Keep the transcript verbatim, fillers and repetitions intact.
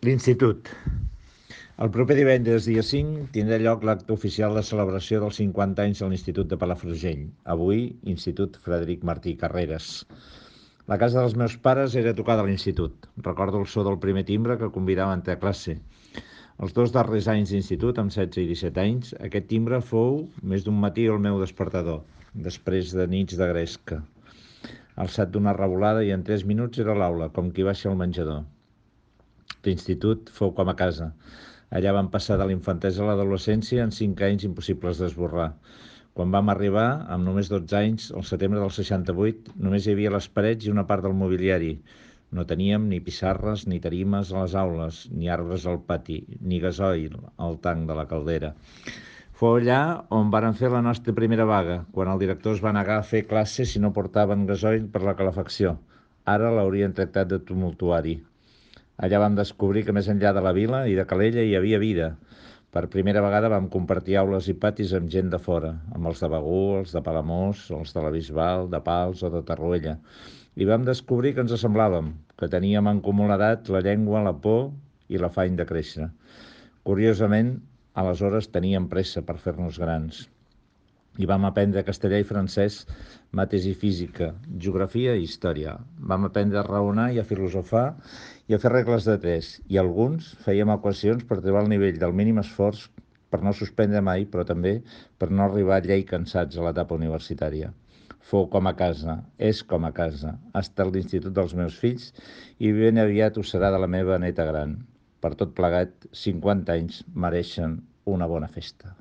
L'Institut. El proper divendres, dia cinc, tindrà lloc l'acte oficial de celebració dels cinquanta anys de l'Institut de Palafrugell, avui Institut Frederic Martí Carreras. La casa dels meus pares era tocada a l'institut. Recordo el so del primer timbre que convidava a entrar a classe. Els dos darrers anys d'institut, amb setze i disset anys, aquest timbre fou més d'un matí el meu despertador, després de nits de gresca. Alçat d'una revolada i en tres minuts era a l'aula, com qui baixa al menjador. L'institut fou com a casa. Allà vam passar de la infantesa a l'adolescència en cinc anys impossibles d'esborrar. Quan vam arribar, amb només dotze anys, al setembre del seixanta-vuit, només hi havia les parets i una part del mobiliari. No teníem ni pissarres ni tarimes a les aules, ni arbres al pati, ni gasoil al tanc de la caldera. Fou allà on varen fer la nostra primera vaga, quan el director es va negar a fer classe si no portaven gasoil per la calefacció. Ara l'haurien tractat de tumultuari. Allà vam descobrir que més enllà de la vila i de Calella hi havia vida. Per primera vegada vam compartir aules i patis amb gent de fora, amb els de Begur, els de Palamós, els de la Bisbal, de Pals o de Tarruella. I vam descobrir que ens assemblàvem, que teníem en comú l'edat, la llengua, la por i l'afany de créixer. Curiosament, aleshores teníem pressa per fer-nos grans. I vam aprendre castellà i francès, mates i física, geografia i història. Vam aprendre a raonar i a filosofar i a fer regles de tres, i alguns fèiem equacions per trobar el nivell del mínim esforç per no suspendre mai, però també per no arribar llei cansats a l'etapa universitària. Fou com a casa, és com a casa, ha estat l'institut dels meus fills i ben aviat ho serà de la meva neta gran. Per tot plegat, cinquanta anys mereixen una bona festa.